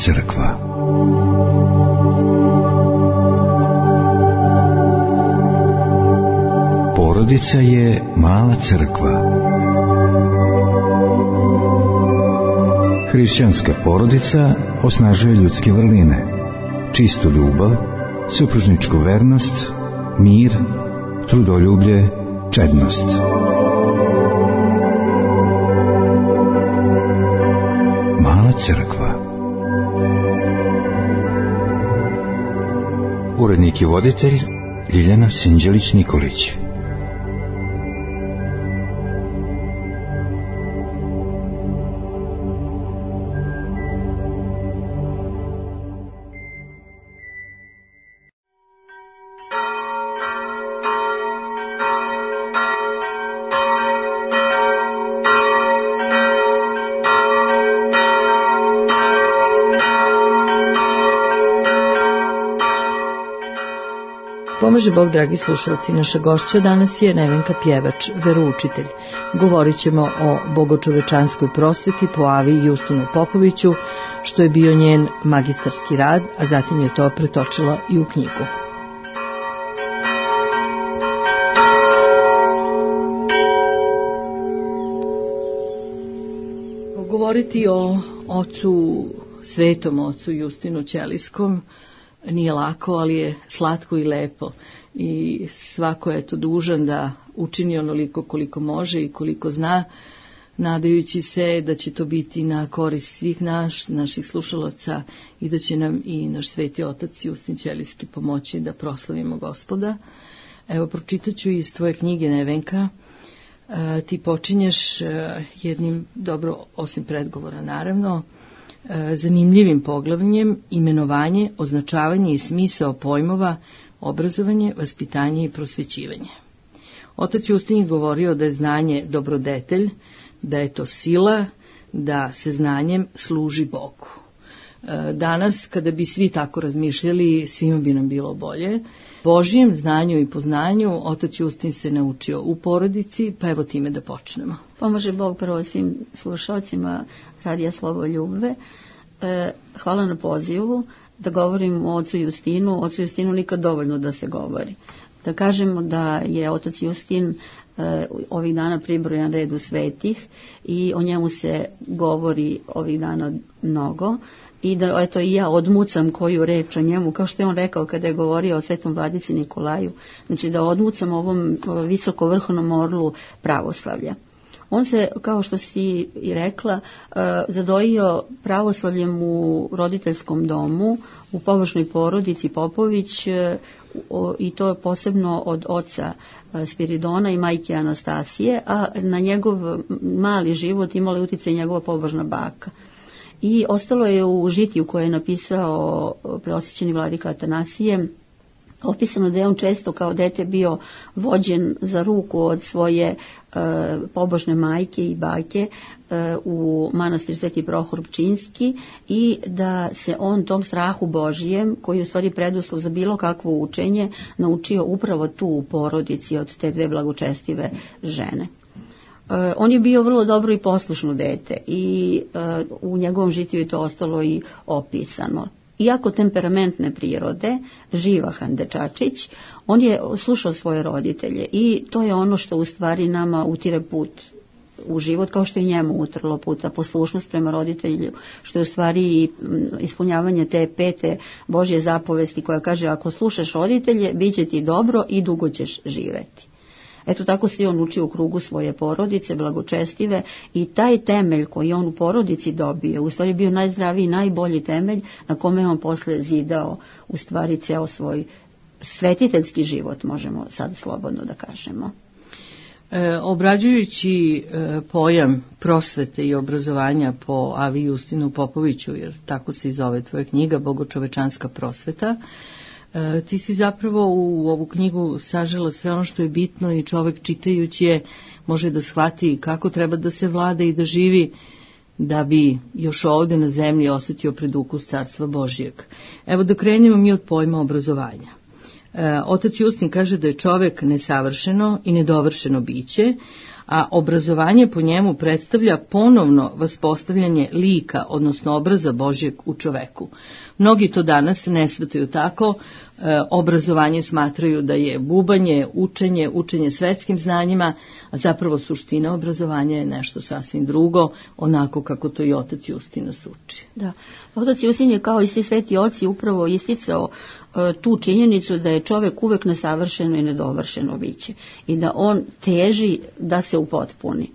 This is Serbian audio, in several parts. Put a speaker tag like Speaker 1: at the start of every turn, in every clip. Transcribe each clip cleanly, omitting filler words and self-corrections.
Speaker 1: crkva. Porodica je mala crkva. Hrišćanska porodica osnažuje ljudske vrline, čistu ljubav, supružničku vernost, mir, trudoljublje, čednost. Mala crkva. Urednik i voditelj Ljiljana Sinđelić-Nikolić.
Speaker 2: Pomaže Bog, dragi slušalci, naša gošća danas je Nevenka Pjevač, veroučitelj. Govorit ćemo o bogočovečanskoj prosveti po Avi Justinu Popoviću, što je bio njen magistarski rad, a zatim je to pretočila i u knjigu. Govoriti o ocu, svetom ocu Justinu Ćelijskom nije lako, ali je slatko i lepo i svako je to dužan da učini onoliko koliko može i koliko zna, nadajući se da će to biti na korist svih naših slušalaca i da će nam i naš sveti otac Justin Ćelijski pomoći da proslavimo Gospoda. Evo, pročitat ću iz tvoje knjige, Nevenka. Ti počinješ jednim, dobro, osim predgovora naravno, zanimljivim poglavljem: imenovanje, označavanje i smisao pojmova, obrazovanje, vaspitanje i prosvećivanje. Otac Justin je govorio da je znanje dobrodetelj, da je to sila, da se znanjem služi Bogu. Danas, kada bi svi tako razmišljali, svima bi nam bilo bolje. Božjem znanju i poznanju otac Justin se naučio u porodici, pa evo time da počnemo.
Speaker 3: Pomaže Bog prvo svim slušalcima Radija Slovo Ljubve. Hvala na pozivu da govorim o ocu Justinu. O ocu Justinu nikad dovoljno da se govori. Da kažemo da je otac Justin ovih dana pribrojan redu svetih i o njemu se govori ovih dana mnogo. I da, eto, i ja odmucam koju reč o njemu, kao što je on rekao kada je govorio o svetom vladici Nikolaju, znači da odmucam ovom visoko vrhovnom orlu pravoslavlja. On se, kao što si i rekla, zadojio pravoslavljem u roditeljskom domu, u pobožnoj porodici Popović, i to je posebno od oca Spiridona i majke Anastasije, a na njegov mali život imala je utjecaj njegova pobožna baka. I ostalo je u žitiju koje je napisao preosvećeni vladika Atanasije opisano da je on često kao dete bio vođen za ruku od svoje pobožne majke i bake u manastir Sveti Prohor Pčinjski i da se on tom strahu Božijem, koji je u stvari preduslov za bilo kakvo učenje, naučio upravo tu u porodici od te dve blagočestive žene. On je bio vrlo dobro i poslušno dete i u njegovom žitiju je to ostalo i opisano. Iako temperamentne prirode, živahan dečačić, on je slušao svoje roditelje i to je ono što u stvari nama utire put u život, kao što je njemu utrlo puta, poslušnost prema roditelju, što je u stvari ispunjavanje te pete Božje zapovesti koja kaže: ako slušaš roditelje, bit će ti dobro i dugo ćeš živeti. Eto, tako se on učio u krugu svoje porodice, blagočestive, i taj temelj koji on u porodici dobio, u stvari bio najzdraviji, najbolji temelj na kome on posle zidao u stvari ceo svoj svetiteljski život, možemo sad slobodno da kažemo.
Speaker 2: Obrađujući pojam prosvete i obrazovanja po Avi Justinu Popoviću, jer tako se i zove tvoja knjiga, Bogočovečanska prosveta, ti si zapravo u ovu knjigu sažela sve ono što je bitno i čovjek čitajući je može da shvati kako treba da se vlada i da živi da bi još ovdje na zemlji osjetio predukus Carstva Božijeg. Evo da krenemo mi od pojma obrazovanja. Otac Justin kaže da je čovjek nesavršeno i nedovršeno biće, a obrazovanje po njemu predstavlja ponovno vaspostavljanje lika, odnosno obraza Božjeg u čoveku. Mnogi to danas ne shvataju tako, obrazovanje smatraju da je bubanje, učenje svetskim znanjima, a zapravo suština obrazovanja je nešto sasvim drugo, onako kako to i otac Justin nas uči.
Speaker 3: Da, otac Justin je kao i svi sveti oci upravo isticao tu činjenicu da je čovjek uvek nesavršeno i nedovršeno biće i da on teži da se upotpuni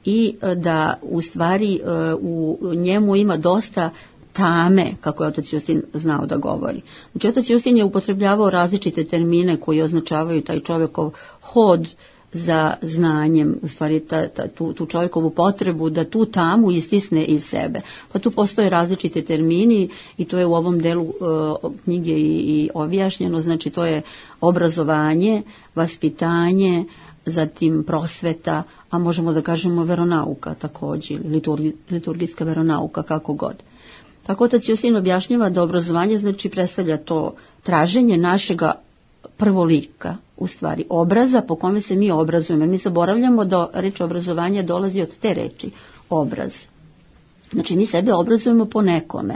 Speaker 3: i da u stvari u njemu ima dosta tame, kako je otac Justin znao da govori. Znači, otac Justin je upotrebljavao različite termine koji označavaju taj čovjekov hod za znanjem, u stvari tu čovjekovu potrebu da tu tamu istisne iz sebe. Pa tu postoje različite termini i to je u ovom delu knjige i objašnjeno, znači to je obrazovanje, vaspitanje, zatim prosveta, a možemo da kažemo veronauka također, liturgijska veronauka, kako god. Tako otac Justin objašnjava da obrazovanje znači predstavlja to traženje našega prvolika, u stvari obraza po kome se mi obrazujemo. Mi zaboravljamo da reč obrazovanje dolazi od te reči, obraz. Znači mi sebe obrazujemo po nekome.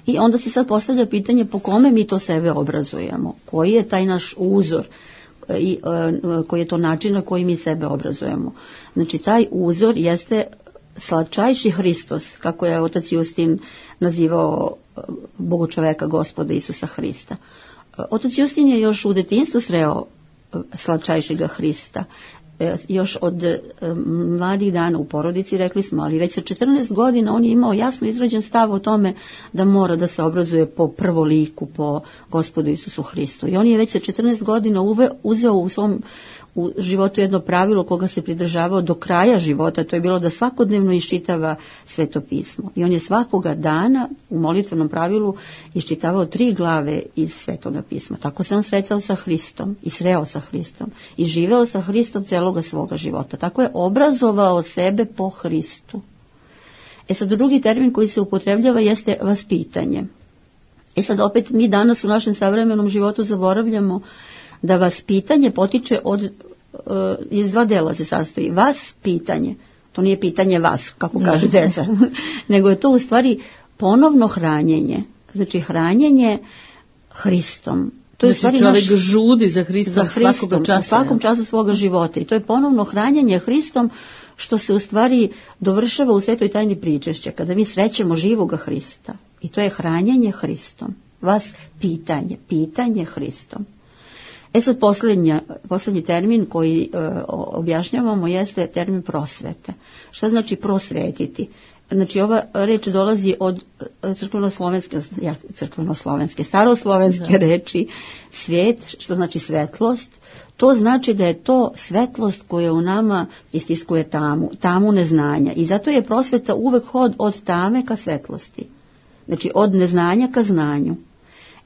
Speaker 3: I onda se sad postavlja pitanje po kome mi to sebe obrazujemo, koji je taj naš uzor i koji je to način na koji mi sebe obrazujemo. Znači taj uzor jeste slatčajši Hristos, kako je otac Justin nazivao Bogočoveka Gospoda Isusa Hrista. Otac Justin je još u detinjstvu sreo slatčajšega Hrista. Još od mladih dana u porodici, rekli smo, ali već sa 14 godina on je imao jasno izrađen stav o tome da mora da se obrazuje po prvoliku, po Gospodu Isusu Hristu. I on je već sa 14 godina uzeo u svom životu jedno pravilo koga se pridržavao do kraja života, to je bilo da svakodnevno iščitava Sveto pismo. I on je svakoga dana u molitvenom pravilu iščitavao 3 glave iz Svetoga pisma. Tako se on sretao sa Hristom i sreo sa Hristom i živeo sa Hristom celoga svoga života. Tako je obrazovao sebe po Hristu. Sad drugi termin koji se upotrebljava jeste vaspitanje. Sad opet mi danas u našem savremenom životu zaboravljamo da vaspitanje potiče iz 2 dela se sastoji. Vas pitanje, to nije pitanje vas, kako kaže deca, nego je to u stvari ponovno hranjenje. Znači hranjenje Hristom. To je
Speaker 2: znači čovjek žudi za Hristom
Speaker 3: u svakom času svoga života. I to je ponovno hranjenje Hristom, što se u stvari dovršava u svetoj tajni pričešća, kada mi srećemo živoga Hrista. I to je hranjenje Hristom. Vas pitanje Hristom. Sad posljednji termin koji objašnjavamo jeste termin prosvete. Šta znači prosvetiti? Znači ova reč dolazi od staroslovenske reči svijet, što znači svetlost. To znači da je to svetlost koja u nama istiskuje tamu neznanja. I zato je prosveta uvek hod od tame ka svetlosti. Znači od neznanja ka znanju.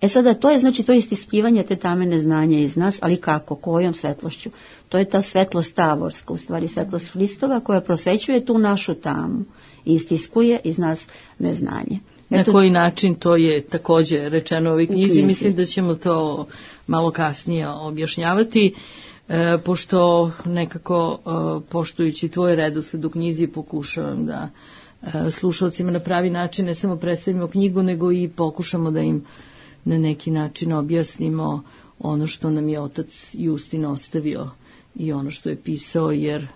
Speaker 3: Sada to je znači to istiskivanje te tame neznanja iz nas, ali kako, kojom svetlošću? To je ta svetlost tavorska, u stvari svetlost Hristova koja prosvećuje tu našu tamu i istiskuje iz nas neznanje.
Speaker 2: Na koji način to je također rečeno u ovoj knjizi, mislim da ćemo to malo kasnije objašnjavati, pošto nekako poštujući tvoj redosled u knjizi pokušavam da slušalcima na pravi način ne samo predstavimo knjigu, nego i pokušamo da im na neki način objasnimo ono što nam je otac Justin ostavio i ono što je pisao, jer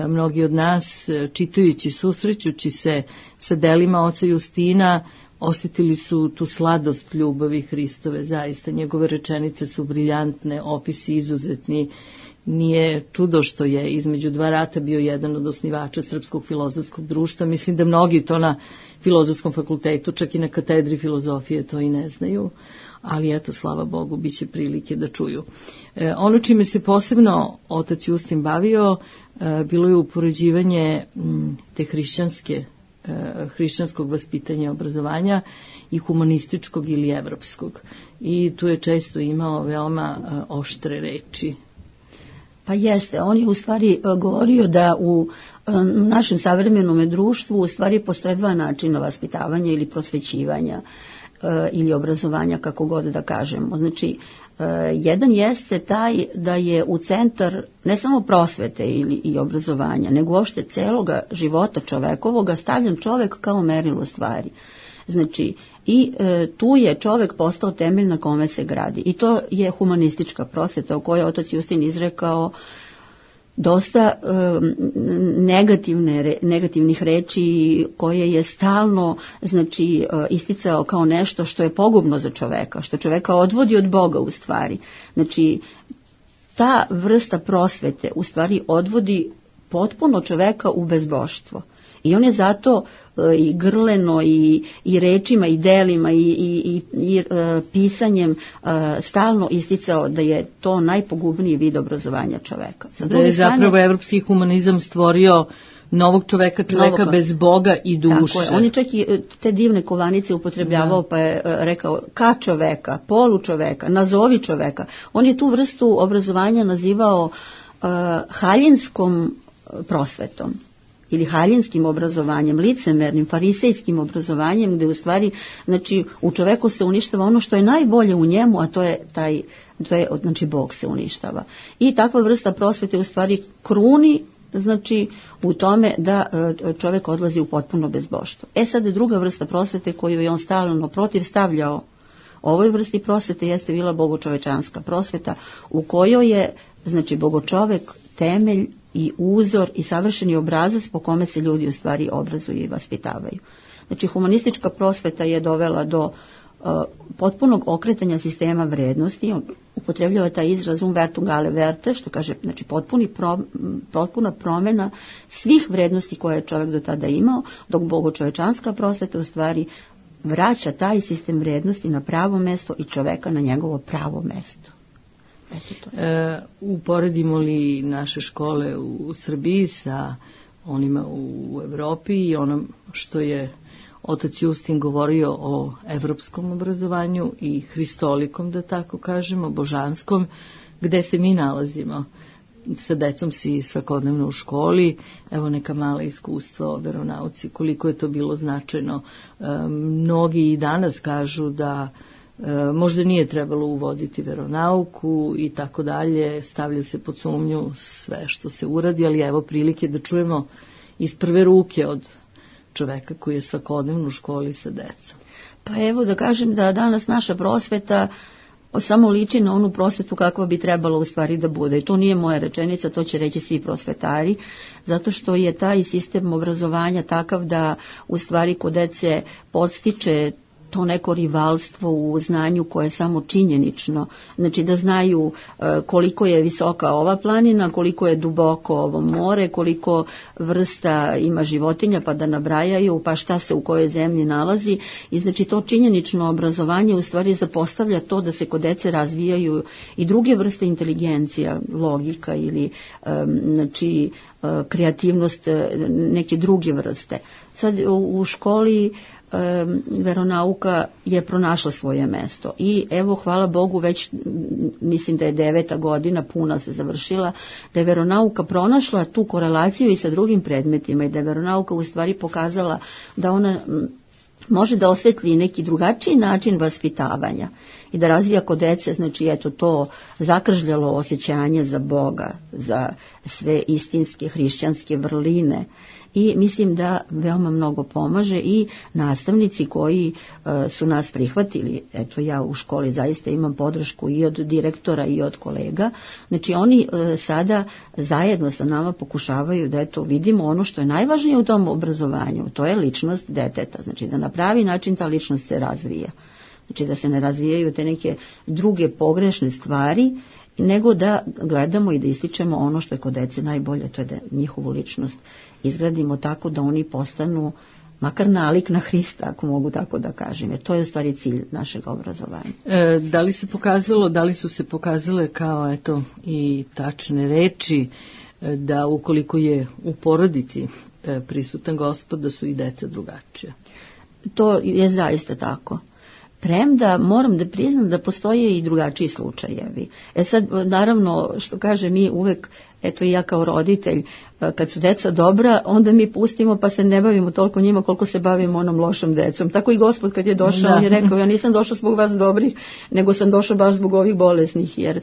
Speaker 2: mnogi od nas, čitajući, susrećući se sa delima oca Justina, osjetili su tu sladost ljubavi Hristove. Zaista, njegove rečenice su briljantne, opisi izuzetni. Nije čudo što je između 2 rata bio jedan od osnivača Srpskog filozofskog društva. Mislim da mnogi to na Filozofskom fakultetu, čak i na katedri filozofije, to i ne znaju. Ali eto, slava Bogu, bit će prilike da čuju. Ono čime se posebno otac Justin bavio, bilo je upoređivanje te hrišćanskog vaspitanja i obrazovanja i humanističkog ili evropskog. I tu je često imao veoma oštre reči.
Speaker 3: Pa jeste, on je u stvari govorio da u našem savremenom društvu u stvari postoje 2 načina vaspitavanja ili prosvećivanja ili obrazovanja, kako god da kažemo. Znači, Jedan jeste taj da je u centar ne samo prosvete i obrazovanja, nego uopšte celoga života čovekovoga stavljen čovek kao merilo stvari. Znači, i tu je čovek postao temelj na kome se gradi. I to je humanistička prosveta o kojoj je otac Justin izrekao dosta negativnih reči koje je stalno isticao kao nešto što je pogubno za čoveka, što čoveka odvodi od Boga u stvari. Znači, ta vrsta prosvete u stvari odvodi potpuno čoveka u bezboštvo. I on je zato i grleno i rečima i delima i pisanjem stalno isticao da je to najpogubniji vid obrazovanja čoveka.
Speaker 2: Da je zapravo evropski humanizam stvorio novog čoveka bez Boga i duše.
Speaker 3: Tako je. On je čak i te divne kovanice upotrebljavao, pa je rekao ka čoveka, polu čoveka, nazovi čoveka. On je tu vrstu obrazovanja nazivao haljinskom prosvetom ili haljinskim obrazovanjem, licemernim, farisejskim obrazovanjem, gde u stvari, znači, u čoveku se uništava ono što je najbolje u njemu, a to je znači, Bog se uništava. I takva vrsta prosvete u stvari kruni, znači, u tome da čovek odlazi u potpuno bezboštvo. Sad je druga vrsta prosvete koju je on stalno protivstavljao ovoj vrsti prosvete jeste bila bogočovečanska prosveta, u kojoj je, znači, bogočovek temelj i uzor i savršeni obrazac po kome se ljudi u stvari obrazuju i vaspitavaju. Znači, humanistička prosveta je dovela do potpunog okretanja sistema vrednosti. On upotrebljava taj izraz umvertum gale verte, što kaže, znači, potpuna promjena svih vrednosti koje je čovjek do tada imao, dok bogočovečanska prosveta u stvari vraća taj sistem vrednosti na pravo mesto i čoveka na njegovo pravo mesto.
Speaker 2: Uporedimo li naše škole u Srbiji sa onima u Evropi i onom što je otac Justin govorio o evropskom obrazovanju i hristolikom, da tako kažemo, božanskom, gde se mi nalazimo? Sa decom si svakodnevno u školi, evo neka mala iskustva o veronauci, koliko je to bilo značajno. Mnogi i danas kažu da možda nije trebalo uvoditi veronauku i tako dalje, stavlja se pod sumnju sve što se uradi, ali evo prilike da čujemo iz prve ruke od čoveka koji je svakodnevno u školi sa decom.
Speaker 3: Pa evo da kažem da danas naša prosveta samo liči na onu prosvetu kakva bi trebalo u stvari da bude. I to nije moja rečenica, to će reći svi prosvetari, zato što je taj sistem obrazovanja takav da u stvari kod dece podstiče to neko rivalstvo u znanju koje je samo činjenično. Znači da znaju koliko je visoka ova planina, koliko je duboko ovo more, koliko vrsta ima životinja, pa da nabrajaju, pa šta se u kojoj zemlji nalazi. I znači to činjenično obrazovanje u stvari zapostavlja to da se kod dece razvijaju i druge vrste inteligencija, logika ili znači kreativnost neke druge vrste. Sad u školi veronauka je pronašla svoje mesto i evo hvala Bogu već mislim da je 9. godina puna se završila, da je veronauka pronašla tu korelaciju i sa drugim predmetima i da je veronauka u stvari pokazala da ona može da osvetli neki drugačiji način vaspitavanja i da razvija kod dece, znači eto to zakržljalo osjećanje za Boga, za sve istinske hrišćanske vrline. I mislim da veoma mnogo pomaže i nastavnici koji su nas prihvatili. Eto ja u školi zaista imam podršku i od direktora i od kolega. Znači oni sada zajedno sa nama pokušavaju da eto vidimo ono što je najvažnije u tom obrazovanju. To je ličnost deteta. Znači da na pravi način ta ličnost se razvija. Znači da se ne razvijaju te neke druge pogrešne stvari, nego da gledamo i da ističemo ono što je kod dece najbolje, to je da njihovu ličnost izgradimo tako da oni postanu makar nalik na Hrista, ako mogu tako da kažem, jer to je u stvari cilj našeg obrazovanja.
Speaker 2: Da li su se pokazale kao eto i tačne reči da ukoliko je u porodici prisutan Gospod, da su i deca drugačija?
Speaker 3: To je zaista tako. Premda moram da priznam da postoje i drugačiji slučajevi. Sad, naravno, što kaže mi uvek eto i ja kao roditelj, kad su deca dobra, onda mi pustimo pa se ne bavimo toliko njima koliko se bavimo onom lošom decom. Tako i Gospod kad je došao, on je rekao, ja nisam došao zbog vas dobrih, nego sam došao baš zbog ovih bolesnih, jer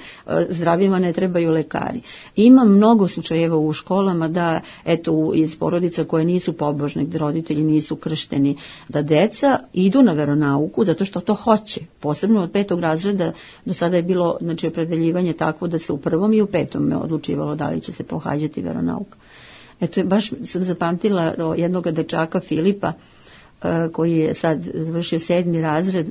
Speaker 3: zdravima ne trebaju lekari. Ima mnogo slučajeva u školama da, eto, iz porodica koje nisu pobožne, gdje roditelji nisu kršteni, da deca idu na veronauku zato što to hoće. Posebno od 5. razreda do sada je bilo, znači, opredeljivanje takvo da se u 1. i u 5. odlučivalo da li će se pohađati veronauka. Eto, baš sam zapamtila jednog dečaka Filipa, koji je sad završio 7. razred,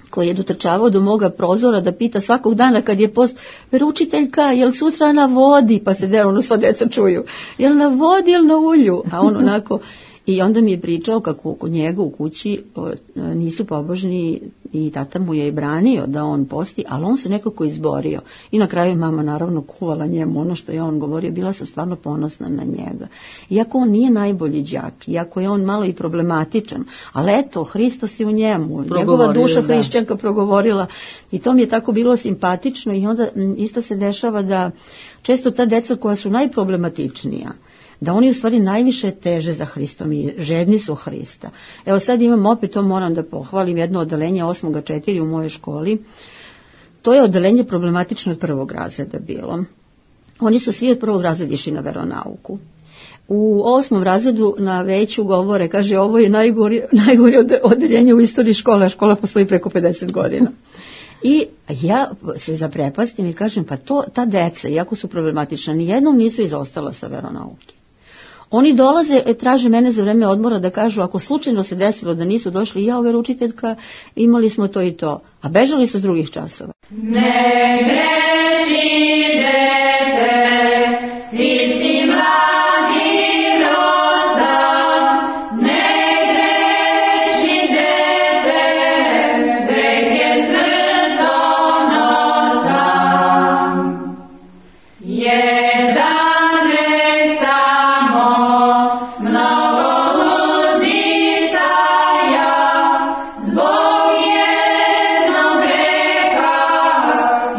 Speaker 3: koji je dotrčavao do moga prozora da pita svakog dana kad je post, veroučiteljka, jel sutra na vodi? Pa se ono sva deca čuju, jel na vodi, jel na ulju? A on onako, i onda mi je pričao kako kod njega u kući nisu pobožni i tata mu je i branio da on posti, ali on se nekako izborio. I na kraju mama naravno kuvala njemu ono što je on govorio, bila sam stvarno ponosna na njega. Iako on nije najbolji đak, iako je on malo i problematičan, ali eto, Hristos je u njemu, njegova duša hrišćanka progovorila i to mi je tako bilo simpatično i onda isto se dešava da često ta deca koja su najproblematičnija, da oni u stvari najviše teže za Hristom i žedni su Hrista. Evo sad imam opet, to moram da pohvalim, jedno odeljenje 8.4 u mojoj školi. To je odeljenje problematično od 1. razreda bilo. Oni su svi od 1. razreda išli na veronauku. U 8. razredu na veću govore, kaže, ovo je najgore odeljenje u istoriji škole, a škola postoji preko 50 godina. I ja se zaprepastim i kažem, pa ta deca, iako su problematična, nijednom nisu izostala sa veronauke. Oni dolaze, traže mene za vreme odmora da kažu, ako slučajno se desilo da nisu došli, ja, veroučiteljka, imali smo to i to, a bežali su s drugih časova.
Speaker 4: Ne greši dete, ti si mladi rosa, ne greši dete, greh je smrtonosan. Jedan greh samo, mnogo uzdisaja, zbog jednog greha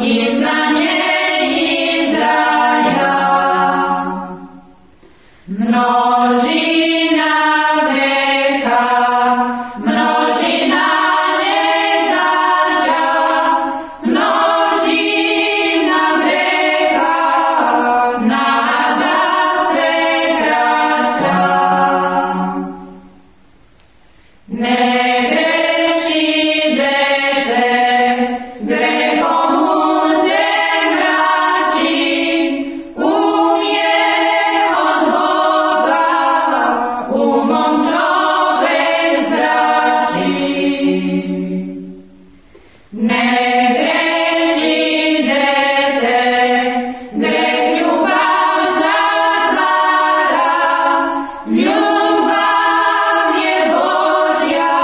Speaker 4: izgnanje Izraja. Množina greha, množina nedaća, množina greha, nada sve kraća. Ne greši dete, grehom se mrači, umje od Boga, umom čovek zrači. Ne greši dete, greh ljubav zatvara, ljubav je Božja,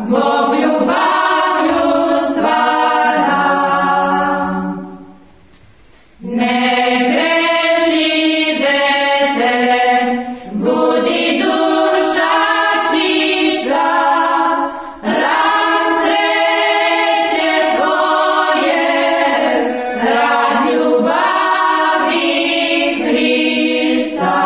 Speaker 4: Bog ljubavlju stvara. Ne greši dete, budi duša čista, rad sreće tvoje, rad ljubavi Hrista.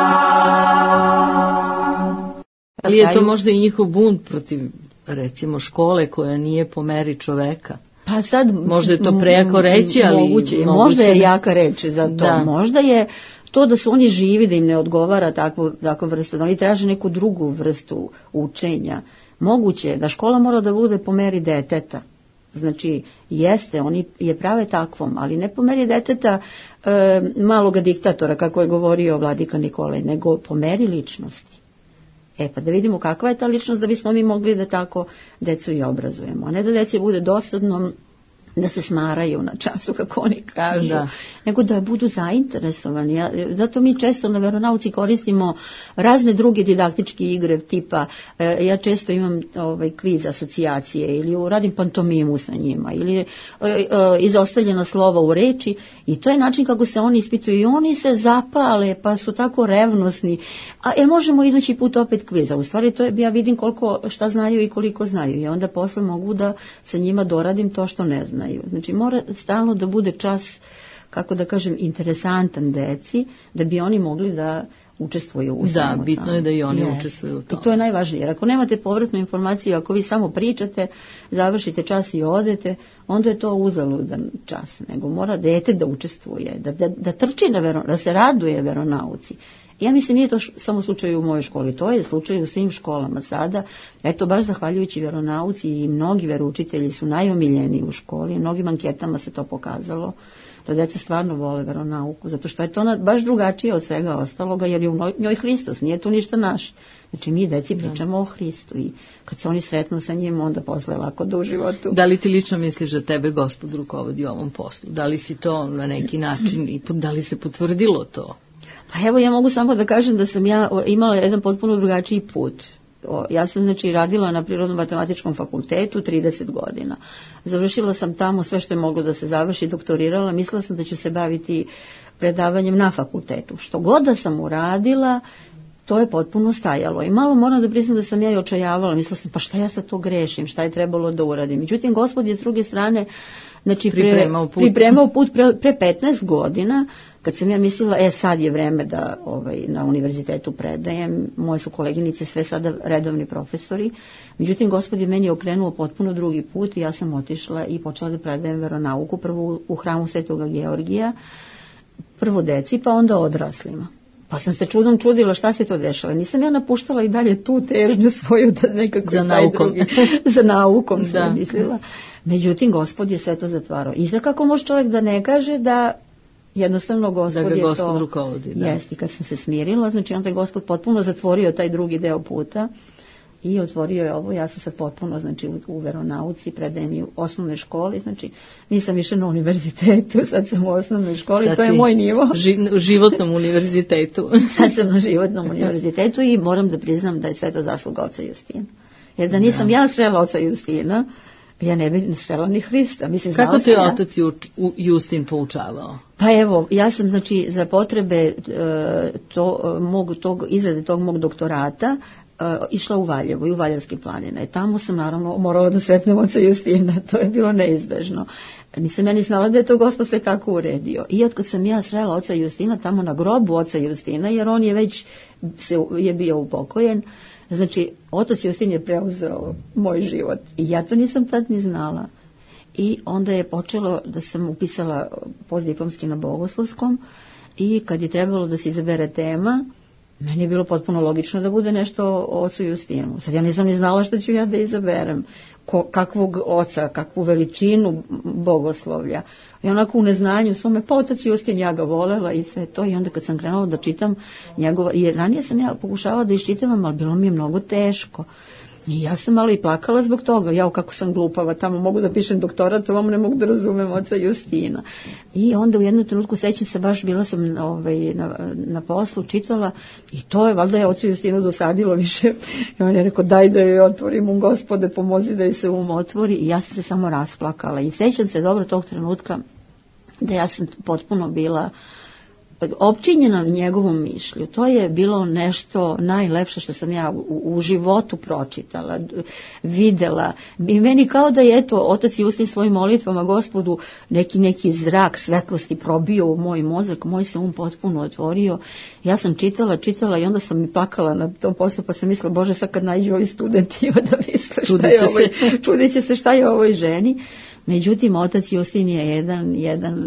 Speaker 2: Ali je to možda i njihov bunt protiv, recimo, škole koja nije po meri čoveka.
Speaker 3: Pa sad,
Speaker 2: Možda je to prejako reći, ali
Speaker 3: možda je jaka reč za to.
Speaker 2: Da.
Speaker 3: Možda je to da su oni živi, da im ne odgovara takva vrsta, da oni traže neku drugu vrstu učenja. Moguće je da škola mora da bude po meri deteta. Znači, jeste, oni je prave takvom, ali ne po meri deteta maloga diktatora, kako je govorio vladika Nikolaj, nego po meri ličnosti. Pa da vidimo kakva je ta ličnost da bismo mi mogli da tako decu i obrazujemo. A ne da deci bude dosadno da se smaraju na času, kako oni kažu, nego da budu zainteresovani. Zato mi često na veronauci koristimo razne druge didaktičke igre tipa, ja često imam kviz asocijacije ili radim pantomimu sa njima ili izostavljena slova u reči i to je način kako se oni ispituju i oni se zapale pa su tako revnosni. Jer možemo idući put opet kviza. U stvari to je, ja vidim šta znaju i koliko znaju i onda posle mogu da sa njima doradim to što ne znaju. Znači mora stalno da bude čas kako da kažem, interesantan deci, da bi oni mogli da učestvuju u svemu.
Speaker 2: Da, bitno je da i oni učestvuju u tome.
Speaker 3: I to je najvažnije. Jer ako nemate povratnu informaciju, ako vi samo pričate, završite čas i odete, onda je to uzaludan čas. Nego mora dete da učestvuje, da trči da se raduje veronauci. Ja mislim, nije to samo slučaj u mojoj školi, to je slučaj u svim školama sada. Eto, baš zahvaljujući veronauci i mnogi veroučitelji su najomiljeniji u školi, mnogim anketama se to pokazalo, da deca stvarno vole veronauku, zato što je to ona baš drugačije od svega ostaloga, jer je u njoj Hristos, nije tu ništa naš. Znači, mi deci pričamo o Hristu i kad se oni sretnu sa njim, onda posle lako da u životu.
Speaker 2: Da li ti lično misliš da tebe Gospod rukovodi ovom poslu? Da li si to na neki način i da li se potvrdilo to?
Speaker 3: Pa evo, ja mogu samo da kažem da sam ja imala jedan potpuno drugačiji put. Ja sam, znači, radila na Prirodno-matematičkom fakultetu 30 godina. Završila sam tamo sve što je moglo da se završi, doktorirala, mislila sam da ću se baviti predavanjem na fakultetu. Što god da sam uradila, to je potpuno stajalo. I malo moram da priznam da sam ja i očajavala, mislila sam, pa šta ja sad to grešim, šta je trebalo da uradim. Međutim, Gospod je s druge strane, znači, pripremao put pre 15 godina, kad sam ja mislila, sad je vreme da na univerzitetu predajem, moje su koleginice sve sada redovni profesori, međutim, Gospod je meni okrenuo potpuno drugi put i ja sam otišla i počela da predajem veronauku, prvo u hramu Svetoga Georgija, prvo deci, pa onda odraslima. Pa sam se čudom čudila šta se to dešava. Nisam ja napuštala i dalje tu težnju svoju da nekako
Speaker 2: za naukom.
Speaker 3: Za naukom sam mislila. Međutim, Gospod je sve to zatvarao. I kako može čovjek da ne kaže da jednostavno Gospod je to
Speaker 2: rukovodi, da.
Speaker 3: Jeste, kad sam se smirila, znači onda je Gospod potpuno zatvorio taj drugi deo puta i otvorio je ovo. Ja sam sad potpuno, znači, u veronauci, predajem i u osnovnoj školi, znači nisam više na univerzitetu, sad sam u osnovnoj školi, sad to je moj nivo.
Speaker 2: U životnom univerzitetu.
Speaker 3: Sad sam na životnom univerzitetu i moram da priznam da je sve to zasluga oca Justina. Jer da nisam ja srela oca Justina, ja ne bih srela ni Hrista. Mislim,
Speaker 2: kako te je otac Justin poučavao?
Speaker 3: Pa evo, ja sam, znači, za potrebe izrade tog mog doktorata išla u Valjevo i u Valjevske planine. Tamo sam naravno morala da sretnem oca Justina, to je bilo neizbežno. Nisam ja ni znala da je to Gospod sve tako uredio. I od kad sam ja srela oca Justina tamo na grobu oca Justina, jer on je već je bio upokojen, znači otac Justin je preuzeo moj život i ja to nisam tad ni znala. I onda je počelo da sam upisala postdiplomski na Bogoslovskom i kad je trebalo da se izabere tema, meni je bilo potpuno logično da bude nešto o ocu Justinu. Sad ja nisam ni znala šta ću ja da izaberem, kakvog oca, kakvu veličinu bogoslovlja. I onako u neznanju svome, pa otac Justin, ja ga volela i sve to. I onda kad sam krenula da čitam njegova, jer ranije sam ja pokušavala da iščitavam, ali bilo mi je mnogo teško. I ja sam malo i plakala zbog toga, jao kako sam glupava, tamo mogu da pišem doktorat, ovom ne mogu da razumem oca Justina. I onda u jednom trenutku sećam se, baš bila sam na poslu, čitala i to je, valjda je ocu Justinu dosadilo više. I on je rekao, daj da joj otvorim, Gospode, pomozi da joj se otvori. I ja sam se samo rasplakala. I sećam se dobro tog trenutka da ja sam potpuno bila opčinjena njegovom mišlju. To je bilo nešto najlepše što sam ja u životu pročitala, videla. I meni kao da je, eto, otac Justin svojim molitvama Gospodu neki zrak svetlosti probio u moj mozak, moj se potpuno otvorio. Ja sam čitala i onda sam i plakala na tom poslu, pa sam mislila, Bože, sad kad nađu ovi studenti da misle čudit će se šta je ovoj ženi. Međutim, otac Justin je jedan,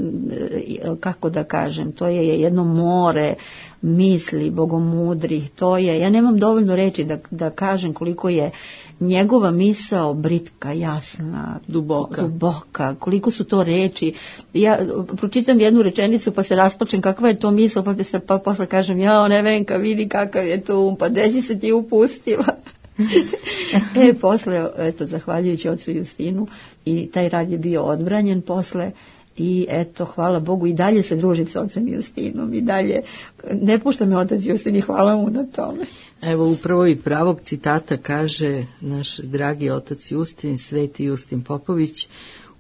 Speaker 3: kako da kažem, to je jedno more misli, bogomudrih, to je, ja nemam dovoljno reči da kažem koliko je njegova misao britka, jasna, duboka, koliko su to reči. Ja pročitam jednu rečenicu pa se rasplačem kakva je to misao, pa posle kažem, jao Nevenka, vidi kakav je to pa gde si se ti upustila. Posle, eto, zahvaljujući ocu Justinu, i taj rad je bio odbranjen posle i eto, hvala Bogu, i dalje se družim s ocem Justinom i dalje ne pušta me otac Justin i hvala mu na tome.
Speaker 2: Evo, upravo i pravog citata kaže naš dragi otac Justin, sveti Justin Popović: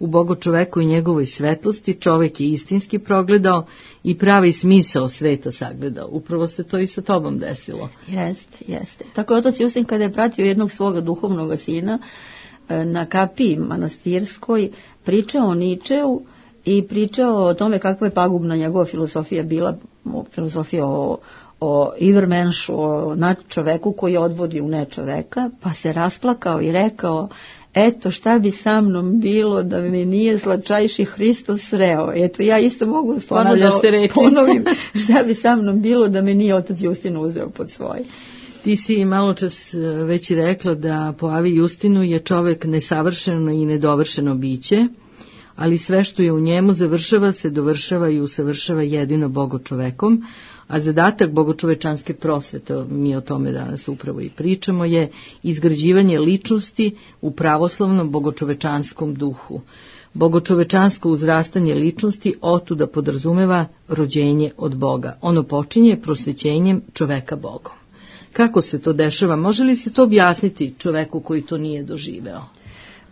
Speaker 2: u Bogu čoveku i njegovoj svetlosti čovek je istinski progledao i pravi smisao sveta sagledao. Upravo se to i sa tobom desilo.
Speaker 3: Jeste. Tako je otac Justin, kada je pratio jednog svoga duhovnog sina na kapiji manastirskoj, pričao o Ničeu i pričao o tome kakva je pagubna njegova filozofija bila, filozofija o Ivermenšu, o čoveku koji odvodi u nečoveka, pa se rasplakao i rekao, eto šta bi sa mnom bilo da me nije slatčajši Hristos sreo. Eto ja isto mogu stvarno da ponovim šta bi sa mnom bilo da me nije otac Justin uzeo pod svoje.
Speaker 2: Ti si malo čas već rekla da po Avi Justinu je čovek nesavršeno i nedovršeno biće, ali sve što je u njemu završava se, dovršava i usavršava jedino bogočovekom, a zadatak bogočovečanske prosvete, mi o tome danas upravo i pričamo, je izgrađivanje ličnosti u pravoslavnom bogočovečanskom duhu. Bogočovečansko uzrastanje ličnosti otuda podrazumeva rođenje od Boga. Ono počinje prosvećenjem čoveka Bogom. Kako se to dešava? Može li se to objasniti čoveku koji to nije doživeo?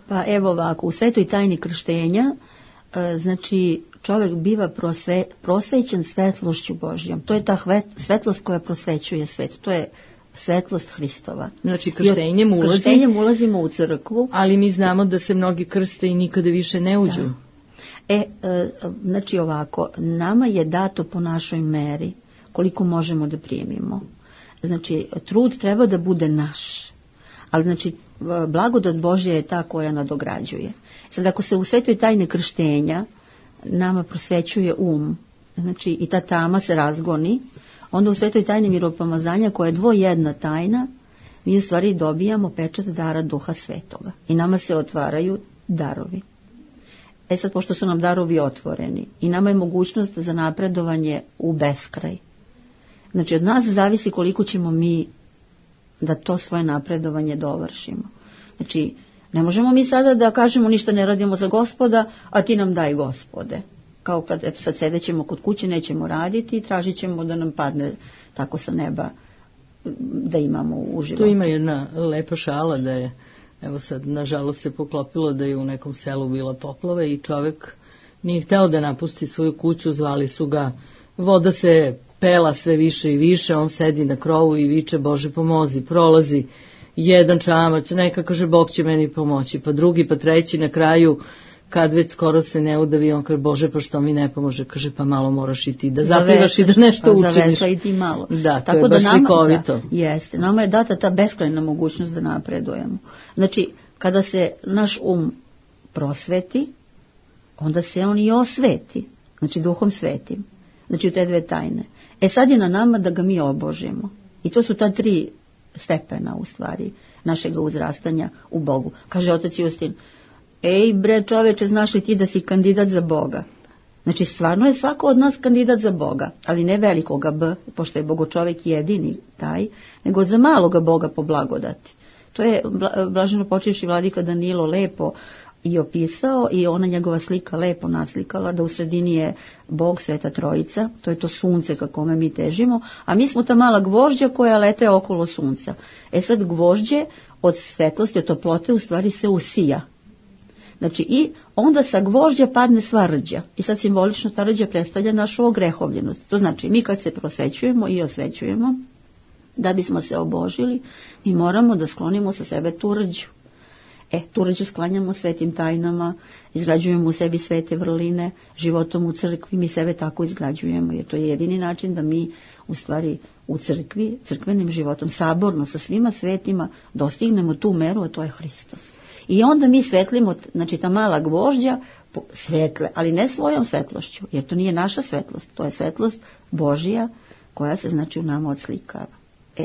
Speaker 3: Pa evo ovako, u svetoj tajni krštenja, znači čovjek biva prosvećen svetlošću Božjom. To je ta svetlost koja prosvećuje svet. To je svetlost Hristova.
Speaker 2: Znači krštenjem
Speaker 3: ulazimo u crkvu.
Speaker 2: Ali mi znamo da se mnogi krste i nikada više ne uđu.
Speaker 3: Da. Znači ovako, nama je dato po našoj meri koliko možemo da primimo. Znači, trud treba da bude naš. Ali znači, blagodat Božja je ta koja nadograđuje. Sad ako se u svetoj tajne krštenja nama prosvećuje znači i ta tama se razgoni, onda u svetoj tajni miropomazanja koja je dvojedna tajna, mi u stvari dobijamo pečat dara Duha Svetoga i nama se otvaraju darovi. Sad, pošto su nam darovi otvoreni i nama je mogućnost za napredovanje u beskraj. Znači, od nas zavisi koliko ćemo mi da to svoje napredovanje dovršimo. Znači, ne možemo mi sada da kažemo ništa ne radimo za Gospoda, a ti nam daj Gospode. Kao kad sad sedećemo kod kuće, nećemo raditi i tražit ćemo da nam padne tako sa neba da imamo uživo.
Speaker 2: Tu ima jedna lepa šala da je, evo sad, nažalost se poklopilo da je u nekom selu bila poplava i čovjek nije hteo da napusti svoju kuću, zvali su ga, voda se pela sve više i više, on sedi na krovu i viče, Bože pomozi, prolazi jedan čamac, neka kaže Bog će meni pomoći, pa drugi, pa treći, na kraju kad već skoro se ne udavi, on kaže Bože pa što mi ne pomože, kaže pa malo moraš i ti da zaplivaš i da nešto učiniš.
Speaker 3: Zavesla i ti malo.
Speaker 2: Da, to je baš slikovito.
Speaker 3: Jeste, nama je data ta beskrajna mogućnost da napredujemo. Znači, kada se naš prosveti, onda se on i osveti, znači Duhom Svetim, znači u te dve tajne. Sad je na nama da ga mi obožimo. I to su ta 3 stepena u stvari našeg uzrastanja u Bogu. Kaže otac Justin, ej bre čoveče, znaš li ti da si kandidat za Boga? Znači stvarno je svako od nas kandidat za Boga, ali ne velikoga B, pošto je bogočovek jedini taj, nego za maloga Boga po blagodati. To je blaženo počivši vladika Danilo lepo i opisao i ona njegova slika lepo naslikala da u sredini je Bog, Sveta Trojica, to je to sunce ka kome mi težimo, a mi smo ta mala gvožđa koja lete okolo sunca. Sad gvožđe od svetlosti, od toplote u stvari se usija. Znači i onda sa gvožđa padne sva rđa i sad simbolično ta rđa predstavlja našu ogrehovljenost. To znači mi kad se prosvećujemo i osvećujemo, da bismo se obožili, mi moramo da sklonimo sa sebe tu rđu. Tu rđu sklanjamo svetim tajnama, izgrađujemo u sebi svete vrline, životom u crkvi, mi sebe tako izgrađujemo, jer to je jedini način da mi u stvari u crkvi, crkvenim životom, saborno sa svima svetima, dostignemo tu meru, a to je Hristos. I onda mi svetlimo, znači ta mala gvožđa svetle, ali ne svojom svetlošću, jer to nije naša svetlost, to je svetlost Božija koja se znači u nama odslikava.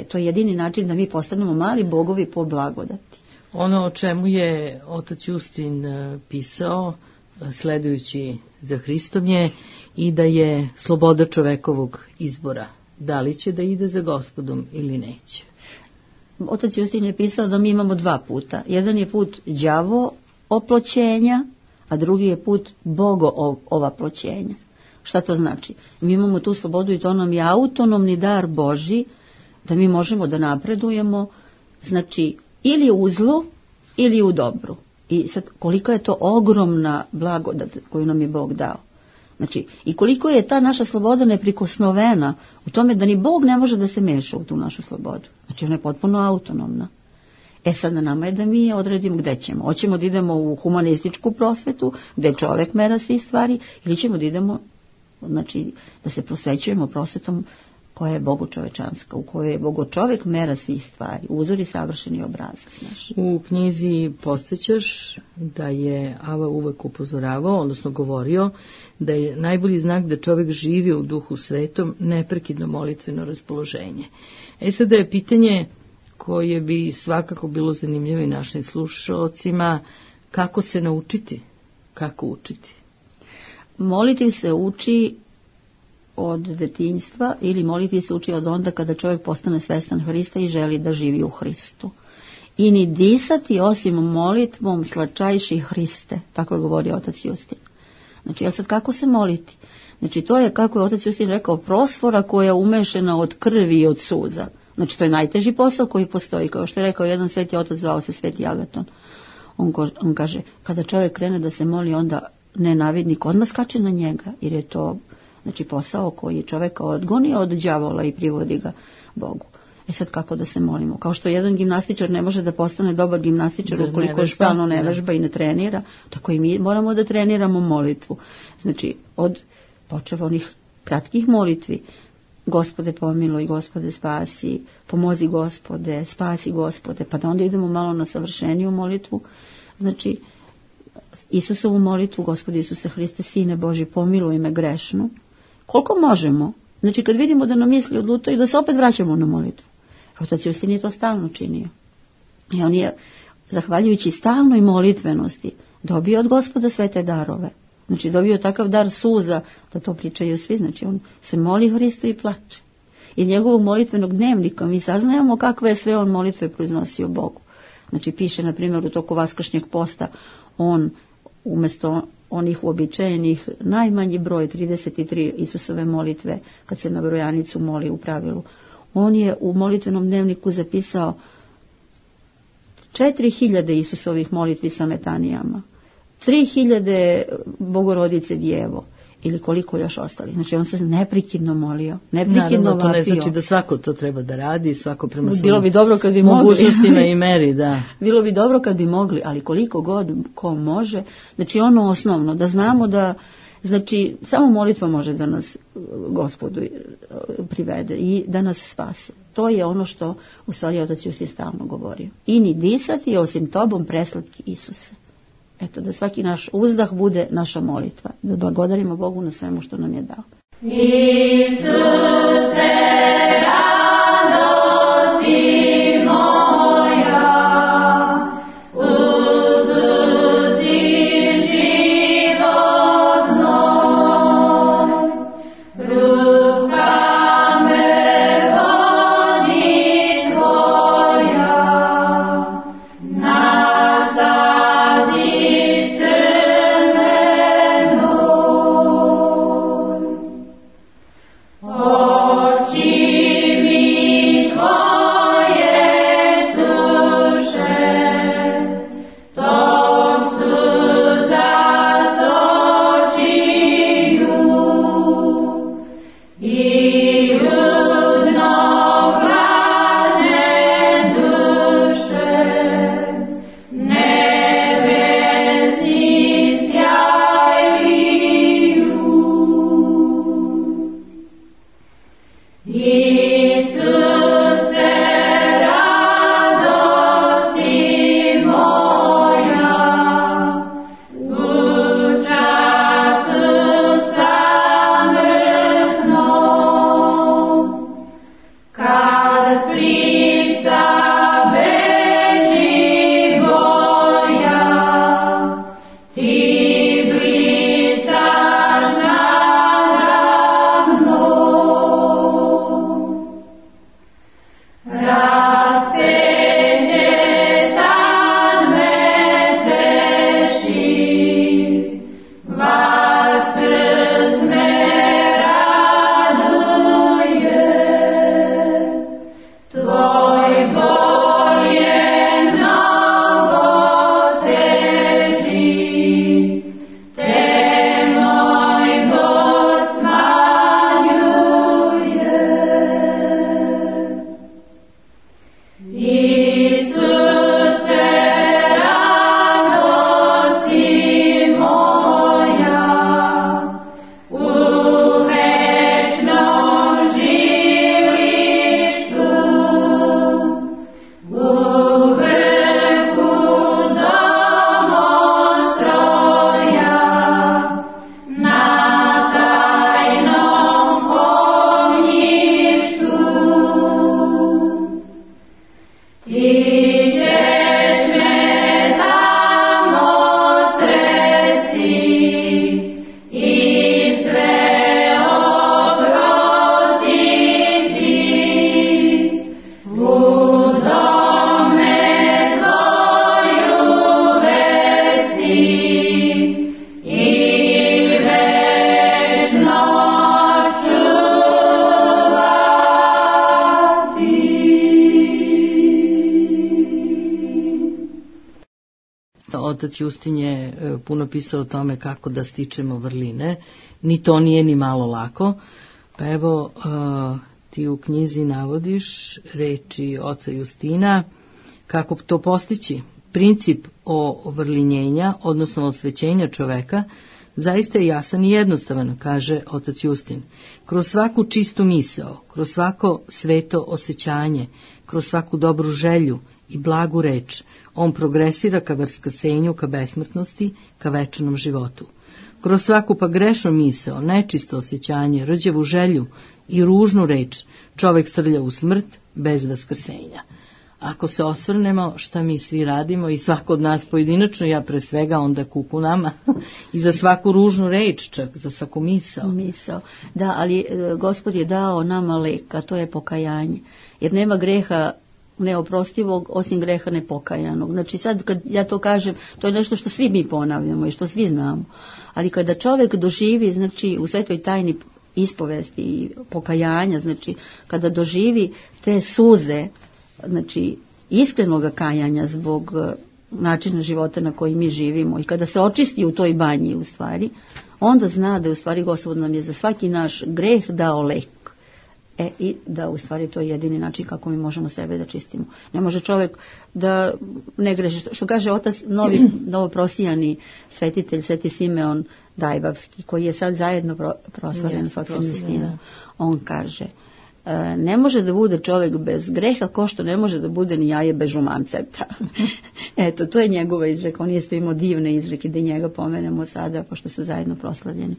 Speaker 3: To je jedini način da mi postanemo mali bogovi po blagodati.
Speaker 2: Ono o čemu je otac Justin pisao, sledujući za Hristom je i da je sloboda čovekovog izbora. Da li će da ide za Gospodom ili neće?
Speaker 3: Otac Justin je pisao da mi imamo 2 puta. Jedan je put đavo oploćenja, a drugi je put Bogo ovaploćenja. Šta to znači? Mi imamo tu slobodu i to nam je autonomni dar Božji, da mi možemo da napredujemo, znači ili u zlu ili u dobru. I sad kolika je to ogromna blagodat koju nam je Bog dao. Znači, i koliko je ta naša sloboda neprikosnovena u tome da ni Bog ne može da se meša u tu našu slobodu. Znači, ona je potpuno autonomna. Sad na nama je da mi odredimo gde ćemo. Hoćemo da idemo u humanističku prosvetu, gde čovek mera svih stvari, ili ćemo da idemo, znači, da se prosvećujemo prosvetom koja je bogočovečanska, u kojoj je bogočovek mera svih stvari, uzor i savršeni obrazac naš.
Speaker 2: U knjizi podsjećaš da je Ava uvek upozoravao, odnosno govorio, da je najbolji znak da čovjek živi u duhu svetom neprekidno molitveno raspoloženje. Sada je pitanje koje bi svakako bilo zanimljivo i našim slušalcima, kako se naučiti, kako učiti?
Speaker 3: Moliti se uči od detinjstva ili moliti se uči od onda kada čovjek postane svestan Hrista i želi da živi u Hristu. I ni disati osim molitvom slačajši Hriste, tako je govorio otac Justin. Znači, ja sad kako se moliti? Znači, to je, kako je otac Justin rekao, prosfora koja je umešena od krvi i od suza. Znači, to je najteži posao koji postoji. Kao što je rekao jedan sveti otac, zvao se Sveti Agaton. On kaže, kada čovjek krene da se moli, onda nenavidnik odmah skače na njega, jer je to, znači, posao koji čovjeka odgoni od đavola i privodi ga Bogu. Sad kako da se molimo? Kao što jedan gimnastičar ne može da postane dobar gimnastičar ukoliko je stalno ne vežba i ne trenira, tako i mi moramo da treniramo molitvu. Znači, od počeva onih kratkih molitvi, Gospode pomiluj, Gospode spasi, pomozi Gospode, spasi Gospode, pa da onda idemo malo na savršeniju molitvu. Znači, Isusovu molitvu, Gospode Isuse Hriste, Sine Boži, pomiluj me grešnu. Koliko možemo? Znači, kad vidimo da nam misli odlutaju, da se opet vraćamo na molitvu. Otac Justin je to stalno činio. I on je, zahvaljujući stalnoj molitvenosti, dobio od Gospoda sve te darove. Znači, dobio takav dar suza, da to pričaju svi. Znači, on se moli Hristu i plače. Iz njegovog molitvenog dnevnika mi saznajemo kakve je sve on molitve proiznosio Bogu. Znači, piše, na primjer, u toku vaskršnjeg posta, on umjesto onih uobičajenih najmanji broj 33 Isusove molitve, kad se na brojanicu moli u pravilu, on je u molitvenom dnevniku zapisao 4000 Isusovih molitvi sa metanijama, 3000 Bogorodice Djevo ili koliko još ostali. Znači, on se neprekidno molio, neprekidno vapio.
Speaker 2: To ne znači da svako to treba da radi, svako prema svojim
Speaker 3: bilo bi dobro kad bi
Speaker 2: mogućnostima i meri, da.
Speaker 3: Bilo bi dobro kad bi mogli, ali koliko god ko može. Znači, ono osnovno, da znamo da, znači, samo molitva može da nas Gospodu privede i da nas spase. To je ono što u stvari otac Justin stalno govorio. I ni disati osim tobom preslatki Isuse. Eto, da svaki naš uzdah bude naša molitva. Da blagodarimo Bogu na svemu što nam je dao.
Speaker 4: Isuse, radosti moja, udusi život moj, ruka me vodi tvoja, Oči
Speaker 2: Otac Justin je puno pisao o tome kako da stičemo vrline. Ni to nije ni malo lako. Pa evo, ti u knjizi navodiš reči oca Justina, kako to postići. Princip ovrlinjenja, odnosno osvećenja čoveka, zaista je jasan i jednostavan, kaže otac Justin. Kroz svaku čistu misao, kroz svako sveto osjećanje, kroz svaku dobru želju i blagu reč, on progresira ka vaskrsenju, ka besmrtnosti, ka večnom životu. Kroz svaku pa grešnu misao, nečisto osjećanje, rđavu želju i ružnu reč, čovek srlja u smrt bez vaskrsenja. Ako se osvrnemo šta mi svi radimo i svako od nas pojedinačno, ja pre svega onda kuku nama i za svaku ružnu reč, čak za svaku misao.
Speaker 3: Da, ali Gospod je dao nama lek, a to je pokajanje. Jer nema greha neoprostivog osim greha nepokajanog. Znači sad kad ja to kažem, to je nešto što svi mi ponavljamo i što svi znamo. Ali kada čovjek doživi, znači u svetoj tajni ispovesti i pokajanja, znači kada doživi te suze, znači iskrenog kajanja zbog načina života na koji mi živimo i kada se očisti u toj banji u stvari, onda zna da u stvari Gospod nam je za svaki naš greh dao lek. I da u stvari to je jedini način kako mi možemo sebe da čistimo. Ne može čovjek da ne greši. Što kaže otac novoprosijani svetitelj, Sveti Simeon Dajbavski, koji je sad zajedno proslavljen s ocem Justinom. On kaže, ne može da bude čovjek bez greha ko što ne može da bude ni jaje bez žumanceta. Eto, to je njegova izreka. On jeste imao divne izreke da njega pomenemo sada, pošto su zajedno proslavljeni.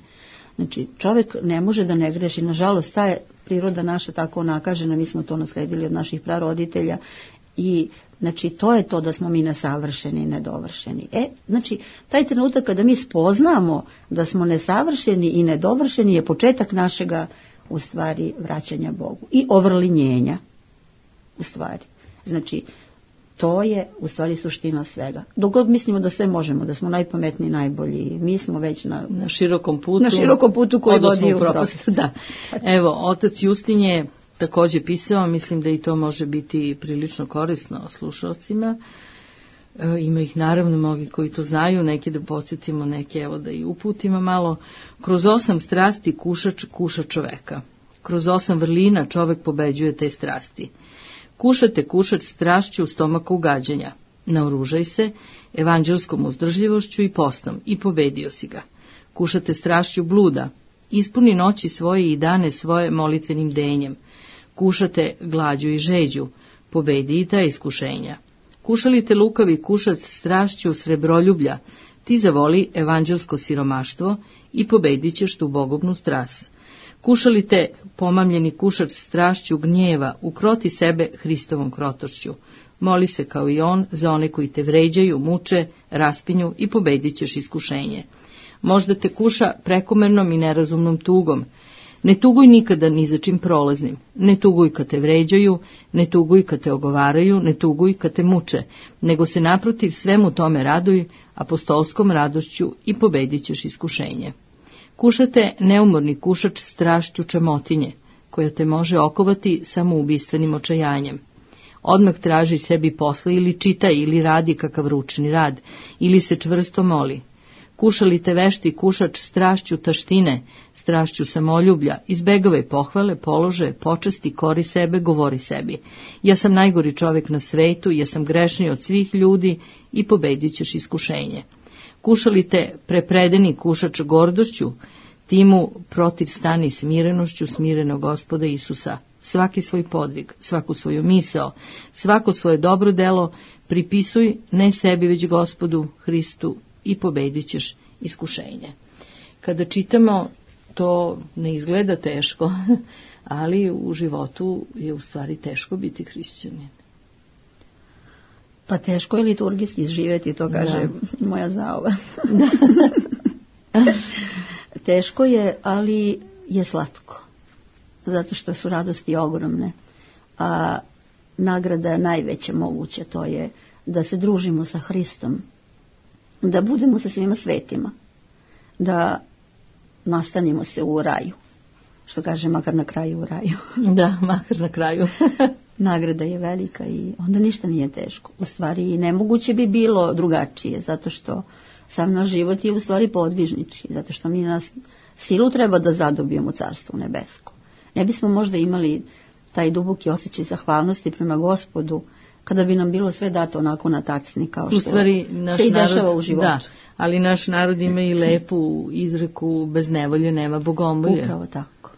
Speaker 3: Znači, čovjek ne može da ne greši. Nažalost, ta je priroda naša tako nakažena, mi smo to nasledili od naših praroditelja i znači to je to da smo mi nesavršeni i nedovršeni. Znači, taj trenutak kada mi spoznamo da smo nesavršeni i nedovršeni je početak našega u stvari vraćanja Bogu i ovrlinjenja u stvari. Znači, to je u stvari suština svega. Dok god mislimo da sve možemo, da smo najpametniji, najbolji, mi smo već na širokom putu koji vodi u propast.
Speaker 2: Da. Evo, otac Justin je također pisao, mislim da i to može biti prilično korisno slušalcima. Ima ih naravno mnogi koji to znaju, neki da podsjetimo, neki evo da i uputimo malo. Kroz 8 strasti kušač kuša čoveka. Kroz 8 vrlina čovek pobeđuje te strasti. Kušate kušač strašću u stomaku ugađanja. Naoružaj se evanđelskom uzdržljivošću i postom i pobedio si ga. Kušate strašću bluda. Ispuni noći svoje i dane svoje molitvenim denjem. Kušate glađu i žeđu. Pobedi i ta iskušenja. Kušalite lukavi kušac strašću srebroljublja. Ti zavoli evanđelsko siromaštvo i pobedit ćeš tu bogobnu strast. Kušalite pomamljeni kušač strašću gnjeva, ukroti sebe Hristovom krotošću. Moli se kao i on za one koji te vređaju, muče, raspinju i pobedit ćeš iskušenje. Možda te kuša prekomernom i nerazumnom tugom. Ne tuguj nikada ni za čim prolaznim. Ne tuguj kad te vređaju, ne tuguj kad te ogovaraju, ne tuguj kad te muče, nego se naprotiv svemu tome raduj apostolskom radošću i pobedit ćeš iskušenje. Kušate neumorni kušač strašću čamotinje, koja te može okovati samoubistvenim očajanjem. Odmah traži sebi posla ili čitaj ili radi kakav ručni rad, ili se čvrsto moli. Kušalite vešti kušač strašću taštine, strašću samoljublja, izbegavaj pohvale, polože, počasti, kori sebe, govori sebi. Ja sam najgori čovjek na svetu, ja sam grešniji od svih ljudi i pobedit ćeš iskušenje. Kušalite prepredeni kušač gordošću, ti mu protiv stani smirenošću smirenog Gospoda Isusa. Svaki svoj podvig, svaku svoju misao, svako svoje dobro delo pripisuj ne sebi već Gospodu Hristu i pobedit ćeš iskušenje. Kada čitamo, to ne izgleda teško, ali u životu je u stvari teško biti hrišćanin.
Speaker 3: Pa teško je liturgijski živjeti, to kaže moja zaova. Teško je, ali je slatko. Zato što su radosti ogromne. A nagrada je najveća moguća, to je da se družimo sa Hristom, da budemo sa svima svetima, da nastanimo se u raju. Što kaže, makar na kraju u raju.
Speaker 2: Da, makar na kraju.
Speaker 3: Nagrada je velika i onda ništa nije teško. U stvari nemoguće bi bilo drugačije, zato što sam naš život je u stvari podvižnički, zato što mi nas silu treba da zadobijemo carstvo nebesko. Ne bismo možda imali taj duboki osjećaj zahvalnosti prema Gospodu kada bi nam bilo sve dato onako na tacni kao što
Speaker 2: se i
Speaker 3: dešava u životu.
Speaker 2: Da, ali naš narod ima i lepu izreku, bez nevolje nema bogomolje.
Speaker 3: Upravo tako.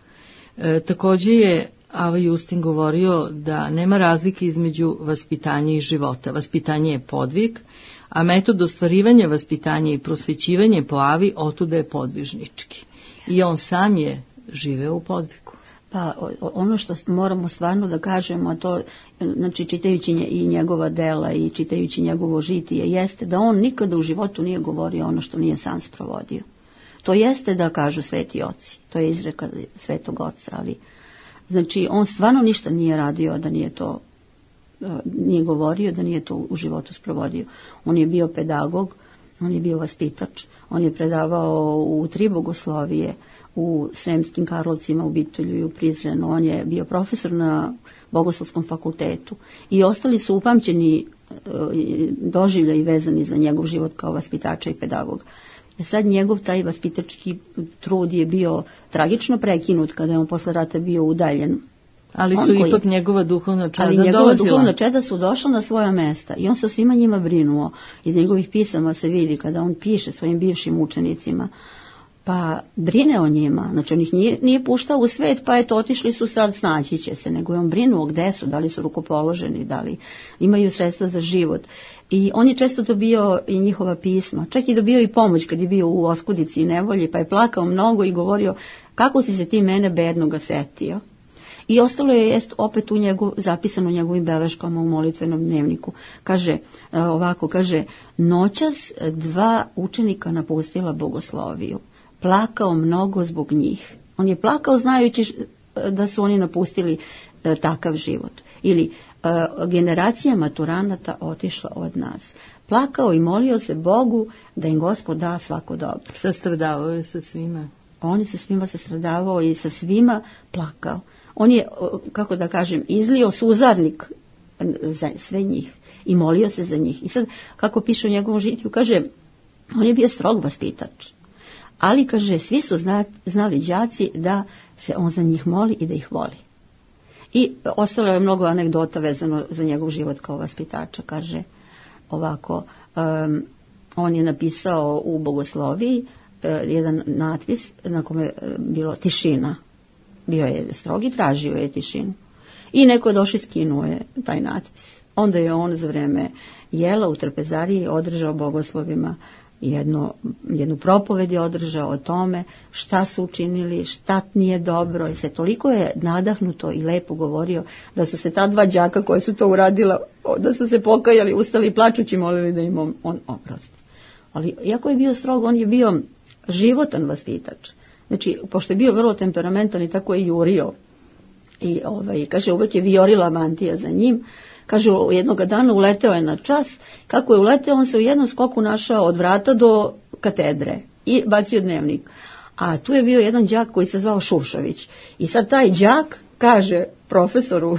Speaker 2: Također je Ava Justin govorio da nema razlike između vaspitanja i života. Vaspitanje je podvig, a metod ostvarivanja vaspitanja i prosvećivanje po Avi otuda je podvižnički. I on sam je živeo u podvigu.
Speaker 3: Pa ono što moramo stvarno da kažemo, a to, znači čitajući i njegova dela i čitajući njegovo žitije, jeste da on nikada u životu nije govorio ono što nije sam sprovodio. To jeste da kažu sveti oci, to je izreka svetog oca, ali znači on stvarno ništa nije radio da nije to, nije govorio, da nije to u životu sprovodio. On je bio pedagog, on je bio vaspitač, on je predavao u 3 bogoslovije, u Sremskim Karlovcima, u Bitolju i u Prizrenu. On je bio profesor na Bogoslovskom fakultetu i ostali su upamćeni doživljaji vezani za njegov život kao vaspitača i pedagoga. Sad njegov taj vaspitački trud je bio tragično prekinut kada je on posle rata bio udaljen.
Speaker 2: Ali su ipak njegova duhovna čeda
Speaker 3: dolazila. Ali njegova duhovna čeda su došla na svoja mesta i on sa svima njima brinuo. Iz njegovih pisama se vidi kada on piše svojim bivšim učenicima, pa brine o njima. Znači on ih nije puštao u svet, pa eto otišli su sad, snaći će se, nego je on brinuo gde su, da li su rukopoloženi, da li imaju sredstva za život. I on je često dobio i njihova pisma, čak i dobio i pomoć kad je bio u oskudici i nevolji, pa je plakao mnogo i govorio kako si se ti mene bednoga setio. I ostalo je opet zapisano u njegovim beleškama u molitvenom dnevniku. Kaže ovako, kaže, noćas 2 učenika napustila bogosloviju. Plakao mnogo zbog njih. On je plakao znajući da su oni napustili takav život. Ili generacija maturanata otišla od nas. Plakao i molio se Bogu da im Gospod da svako dobro.
Speaker 2: Sastradavao je sa svima.
Speaker 3: On je sa svima sastradavao i sa svima plakao. On je, kako da kažem, izlio suzarnik za sve njih i molio se za njih. I sad, kako piše u njegovom žitiju, kaže, on je bio strog vaspitač. Ali, kaže, svi su znali đaci da se on za njih moli i da ih voli. I ostalo je mnogo anegdota vezano za njegov život kao vaspitača. Kaže ovako, on je napisao u bogosloviji jedan natpis na kome je bilo tišina. Bio je strog i tražio je tišinu. I neko je došao i skinuo je taj natpis. Onda je on za vreme jela u trpezariji održao bogoslovima jednu propoved je održao o tome šta su učinili, šta nije dobro. I se toliko je nadahnuto i lepo govorio da su se ta 2 đaka koje su to uradila, da su se pokajali, ustali plačući molili da im on oprosti. Ali iako je bio strog, on je bio životan vaspitač. Znači, pošto je bio vrlo temperamentan i tako je jurio. I kaže, uvek je vijorila mantija za njim. Kaže, jednog dana uleteo je na čas. Kako je uleteo, on se u jednom skoku našao od vrata do katedre i bacio dnevnik. A tu je bio jedan đak koji se zvao Šušović. I sad taj đak kaže profesoru,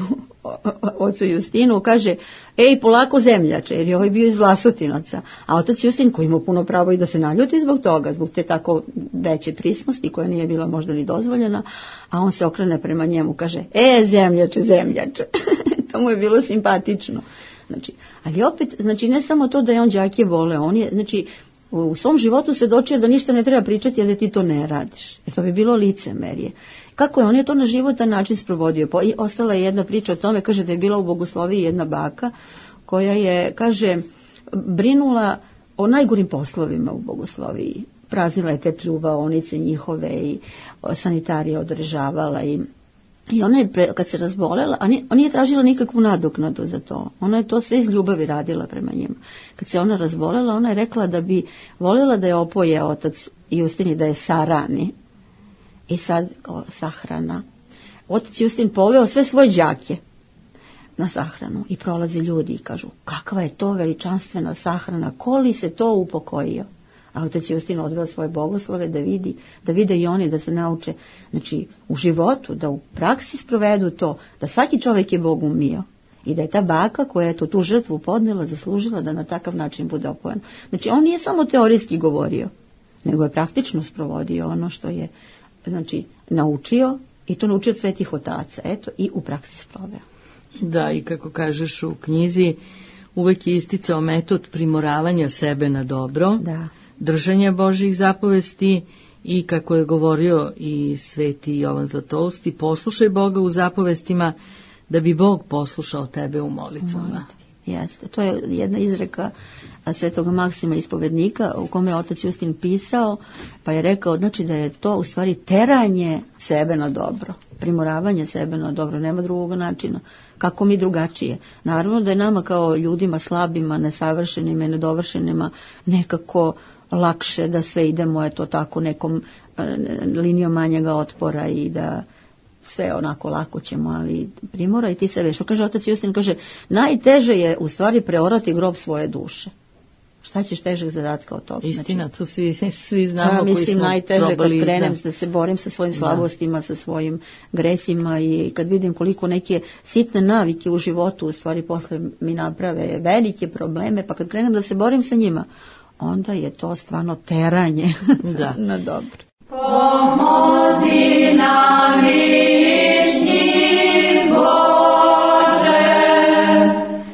Speaker 3: ocu Justinu, kaže, ej, polako zemljače, jer je ovaj bio iz Vlasutinaca. A otac Justin, koji ima puno pravo i da se naljuti zbog toga, zbog te tako veće prisnosti, koja nije bila možda ni dozvoljena, a on se okrene prema njemu, kaže, zemljače, zemljače. To mu je bilo simpatično. Znači, ali opet, znači, ne samo to da je on đake voleo, on je, znači, u svom životu se dočio da ništa ne treba pričati, a da ti to ne radiš. Jer to bi bilo licemerje. Kako je? On je to na životan način sprovodio. I ostala je jedna priča o tome, kaže da je bila u bogosloviji jedna baka koja je, kaže, brinula o najgorim poslovima u bogosloviji. Praznila je te pljuvaonice njihove i sanitarije održavala i I ona je, kad se razbolela, a nije tražila nikakvu nadoknadu za to. Ona je to sve iz ljubavi radila prema njima. Kad se ona razbolela, ona je rekla da bi voljela da je opoje otac Justin i da je sarani. I sad, sahrana. Otac Justin poveo sve svoje đake na sahranu i prolazi ljudi i kažu, kakva je to veličanstvena sahrana, ko li se to upokojio? A otac Justin odveo svoje bogoslove da vide i oni, da se nauče, znači u životu, da u praksi sprovedu to, da svaki čovjek je Bog umio i da je ta baka koja je tu žrtvu podnijela, zaslužila da na takav način bude opojena. Znači on nije samo teorijski govorio, nego je praktično sprovodio ono što je, znači, naučio, i to naučio od svetih otaca, eto, i u praksi sproveo.
Speaker 2: Da, i kako kažeš u knjizi, uvek je isticao metod primoravanja sebe na dobro,
Speaker 3: da,
Speaker 2: držanja Božjih zapovesti, i kako je govorio i sveti Jovan Zlatousti, poslušaj Boga u zapovestima da bi Bog poslušao tebe u molitvama.
Speaker 3: Jeste, to je jedna izreka svetoga Maksima ispovednika u kome je otac Justin pisao, pa je rekao, znači da je to u stvari teranje sebe na dobro, primoravanje sebe na dobro, nema drugog načina. Kako mi drugačije? Naravno da je nama kao ljudima slabima, nesavršenima i nedovršenima nekako lakše da sve idemo eto tako nekom linijom manjega otpora i da sve onako lako ćemo, ali primoraj ti sebe. Što kaže otac Justin, kaže, najteže je u stvari preorati grob svoje duše. Šta ćeš težeg zadatka od toga?
Speaker 2: Istina, to svi znamo koji smo
Speaker 3: mislim najteže
Speaker 2: probali,
Speaker 3: kad krenem da se borim sa svojim slabostima, sa svojim gresima, i kad vidim koliko neke sitne navike u životu u stvari posle mi naprave velike probleme, pa kad krenem da se borim sa njima, onda je to stvarno teranje na dobro.
Speaker 4: Pomozi nam višnji Bože,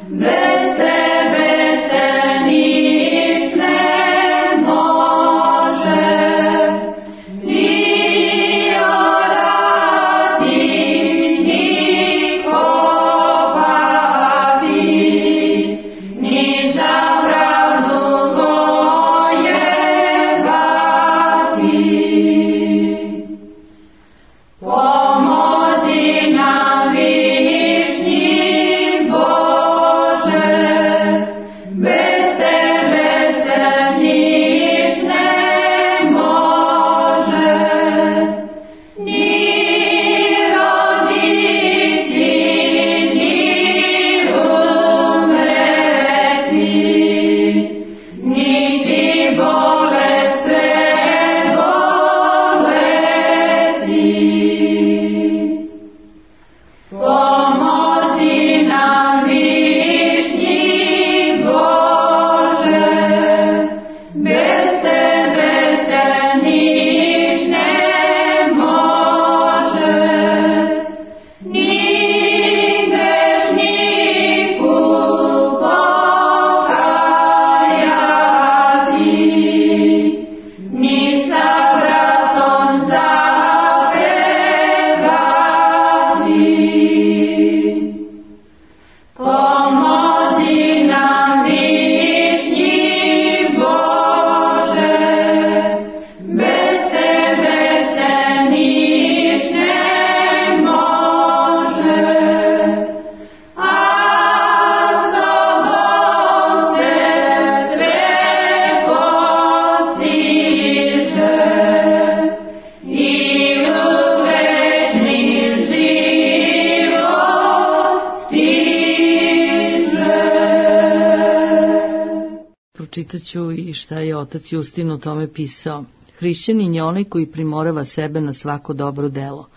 Speaker 4: bez tebe se nic ne može, ni orati, ni kopati, ni za pravdu vojevati. Pomozi nam višnji Bože, bez tebe se nic ne može, ni roditi, ni umreti, niti bolest preboleti. Pomozi nam višnji Bože, bez tebe se nic ne može, ni grešniku pokajati, ni sa bratom zapevati. Pomozi nam višnji Bože, bez tebe se nic ne može, a s tobom se sve postiže i u večni život stiže.
Speaker 2: Pročitat ću i šta je otac Justin o tome pisao. Hrišćanin je onaj koji primorava sebe na svako dobro delo.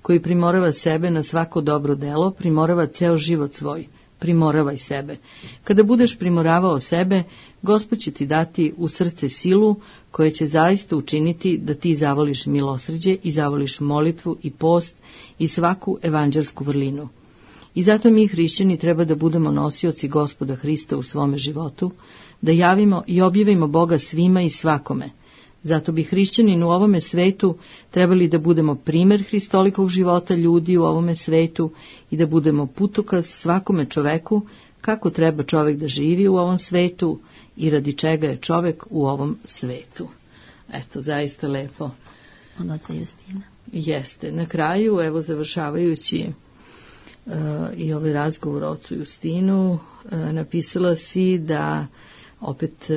Speaker 2: Koji primorava sebe na svako dobro delo, primorava ceo život svoj. Primoravaj sebe. Kada budeš primoravao sebe, Gospod će ti dati u srce silu koja će zaista učiniti da ti zavoliš milosrđe i zavoliš molitvu i post i svaku evanđelsku vrlinu. I zato mi hrišćani treba da budemo nosioci Gospoda Hrista u svome životu, da javimo i objavimo Boga svima i svakome. Zato bi hrišćanin u ovome svetu trebali da budemo primer Hristolikog života ljudi u ovome svetu i da budemo putokaz svakome čoveku kako treba čovek da živi u ovom svetu i radi čega je čovek u ovom svetu. Eto, zaista lepo.
Speaker 3: Od oca Justina.
Speaker 2: Jeste. Na kraju, evo završavajući i ovaj razgovor o ocu Justinu, napisala si da opet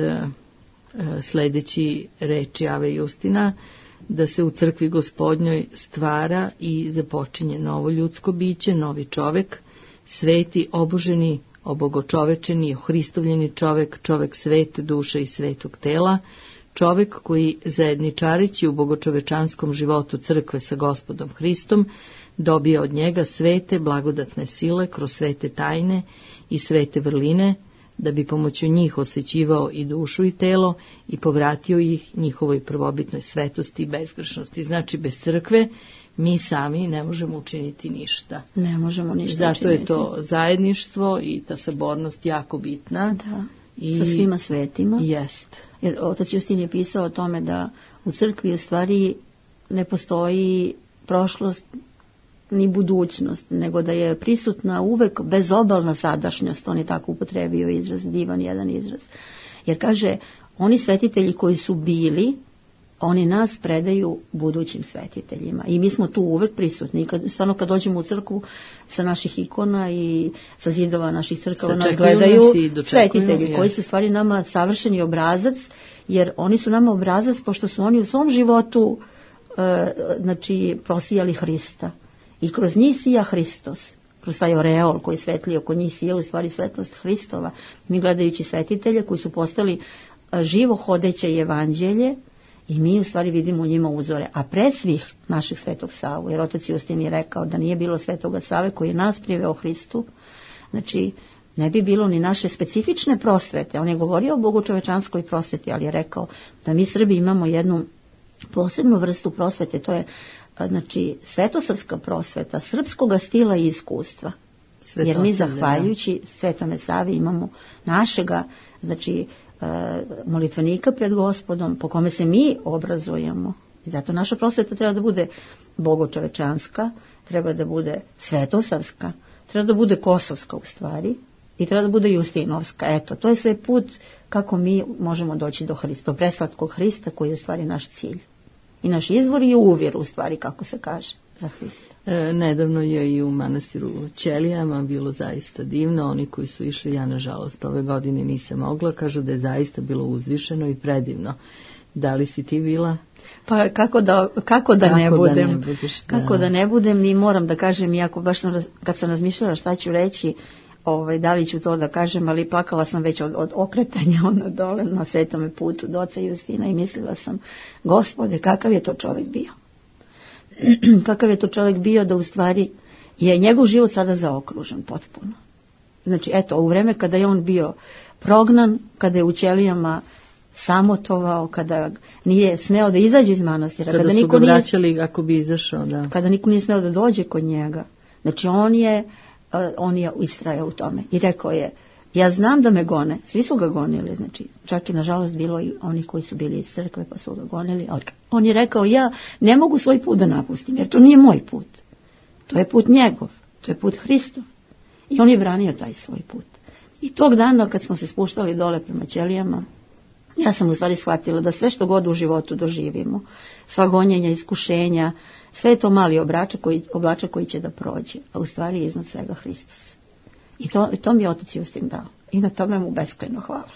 Speaker 2: sledeći reči Ave Justina, da se u crkvi Gospodnjoj stvara i započinje novo ljudsko biće, novi čovek, sveti, oboženi, obogočovečeni, ohristovljeni čovek, čovek svete duše i svetog tela, čovek koji zajedničarići u bogočovečanskom životu crkve sa Gospodom Hristom dobija od njega svete blagodatne sile kroz svete tajne i svete vrline, da bi pomoću njih osvećivao i dušu i telo i povratio ih njihovoj prvobitnoj svetosti i bezgrešnosti. Znači, bez crkve mi sami ne možemo učiniti ništa.
Speaker 3: Ne možemo ništa
Speaker 2: Zato
Speaker 3: učiniti.
Speaker 2: je to zajedništvo i ta sabornost jako bitna.
Speaker 3: Da, sa svima svetima.
Speaker 2: Jest.
Speaker 3: Jer otac Justin je pisao o tome da u crkvi u stvari ne postoji prošlost ni budućnost, nego da je prisutna uvek bezobalna sadašnjost. On je tako upotrebio izraz, divan jedan izraz. Jer kaže, oni svetitelji koji su bili, oni nas predaju budućim svetiteljima. I mi smo tu uvek prisutni. Stvarno kad dođemo u crkvu sa naših ikona i sa zidova naših crkava, nas gledaju svetitelji koji su stvari nama savršeni obrazac, jer oni su nama obrazac pošto su oni u svom životu prosijali Hrista. I kroz njih sija Hristos. Kroz taj oreol koji svetli oko njih sija u stvari svetlost Hristova. Mi gledajući svetitelje koji su postali živo hodeće evanđelje, i mi u stvari vidimo u njima uzore. A pre svih naših Svetog Savu, jer otac Justin je rekao da nije bilo Svetoga Save koji je nas priveo Hristu, znači ne bi bilo ni naše specifične prosvete. On je govorio o bogočovečanskoj prosveti, ali je rekao da mi Srbi imamo jednu posebnu vrstu prosvete, to je svetosavska prosveta, srpskoga stila i iskustva. Jer mi zahvaljujući Svetome Savi imamo našega, molitvenika pred Gospodom, po kome se mi obrazujemo. I zato naša prosveta treba da bude bogočovečanska, treba da bude svetosavska, treba da bude kosovska u stvari i treba da bude justinovska. Eto, to je sve put kako mi možemo doći do Hrista, do preslatkog Hrista koji je u stvari naš cilj. I naš izvor je uvjer u stvari, kako se kaže, za Hrista.
Speaker 2: Nedavno je i u manastiru Ćelijama bilo zaista divno. Oni koji su išli, ja nažalost ove godine nisam mogla, kažu da je zaista bilo uzvišeno i predivno. Da li si ti bila?
Speaker 3: Pa kako da ne budem? Kako da ne budem, i moram da kažem, iako baš kad sam razmišljala šta ću reći, da li ću to da kažem, ali plakala sam već od okretanja dole na Svetome putu do oca Justina i mislila sam, Gospode, kakav je to čovjek bio? Kakav je to čovjek bio da u stvari je njegov život sada zaokružen potpuno. Znači, eto, u vreme kada je on bio prognan, kada je u Ćelijama samotovao, kada nije smeo da izađe iz manastira,
Speaker 2: kada su ga vraćali ako bi izašao, da.
Speaker 3: Kada niko nije smeo da dođe kod njega. Znači, on je istrajao u tome i rekao je, ja znam da me gone, svi su ga gonili, znači čak i nažalost bilo i oni koji su bili iz crkve pa su ga gonili. On je rekao, ja ne mogu svoj put da napustim, jer to nije moj put, to je put njegov, to je put Hristov. I on je branio taj svoj put. I tog dana kad smo se spuštali dole prema Ćelijama, ja sam u stvari shvatila da sve što god u životu doživimo, sva gonjenja, iskušenja, sve je to mali oblačak koji će da prođe, a u stvari je iznad svega Hristos. I to mi je otac Justin dao. I na tome mu beskrajno hvala.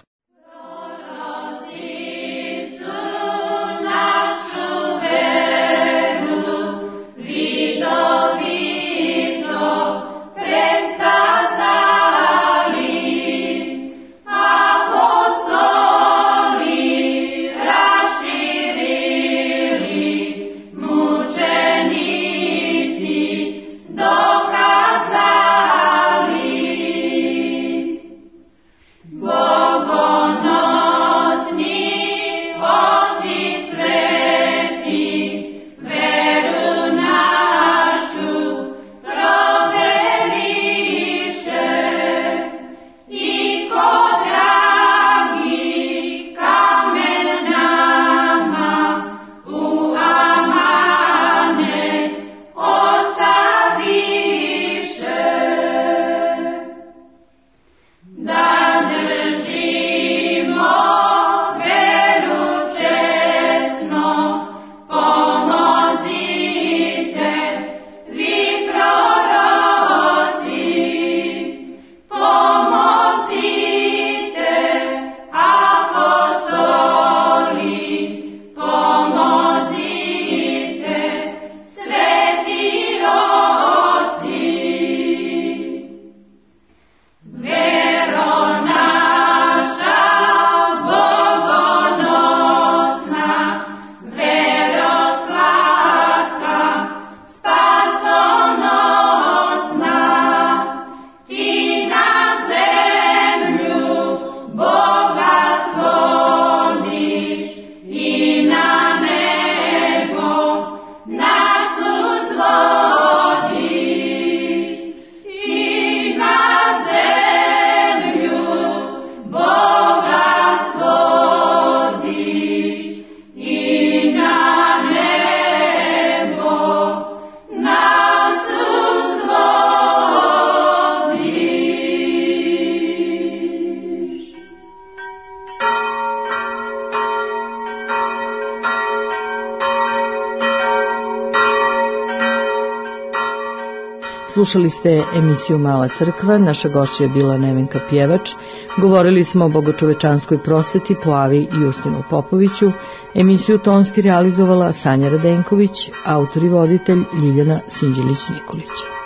Speaker 4: Bogo
Speaker 2: Slušali ste emisiju Mala crkva, naša gošća je bila Nevenka Pjevač. Govorili smo o bogočovečanskoj prosveti po Avi Justinu Popoviću. Emisiju tonski realizovala Sanja Radenković, autor i voditelj Ljiljana Sinđelić-Nikolić.